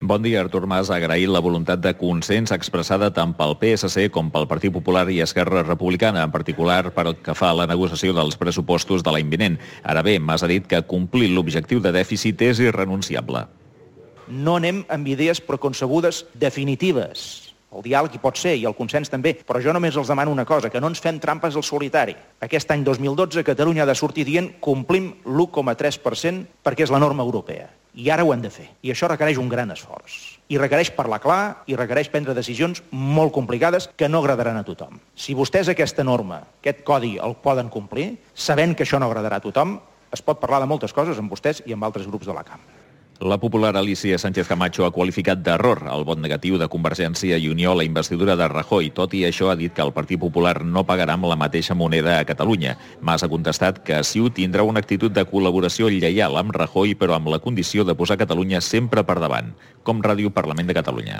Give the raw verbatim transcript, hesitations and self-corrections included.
Bon dia. Artur Mas ha agraït la voluntat de consens expressada tant pel P S C com pel Partit Popular i Esquerra Republicana, en particular pel que fa a la negociació dels pressupostos de l'any vinent. Ara bé, Mas ha dit que complir l'objectiu de dèficit és irrenunciable. No anem amb idees preconcebudes definitives. El diàleg hi pot ser i el consens també, però jo només els demano una cosa, que no ens fem trampes al solitari. Aquest any dos mil dotze Catalunya ha de sortir dient complim l'u coma tres per cent perquè és la norma europea. I ara ho hem de fer. I això requereix un gran esforç. I requereix parlar clar i requereix prendre decisions molt complicades que no agradaran a tothom. Si vostès aquesta norma, aquest codi, el poden complir, sabent que això no agradarà a tothom, es pot parlar de moltes coses amb vostès i amb altres grups de la cambra. La popular Alícia Sánchez Camacho ha qualificat d'error el vot negatiu de Convergència i Unió a la investidura de Rajoy. Tot i això, ha dit que el Partit Popular no pagarà amb la mateixa moneda a Catalunya. Mas ha contestat que Ciu tindrà una actitud de col·laboració lleial amb Rajoy, però amb la condició de posar Catalunya sempre per davant. Com Ràdio Parlament de Catalunya.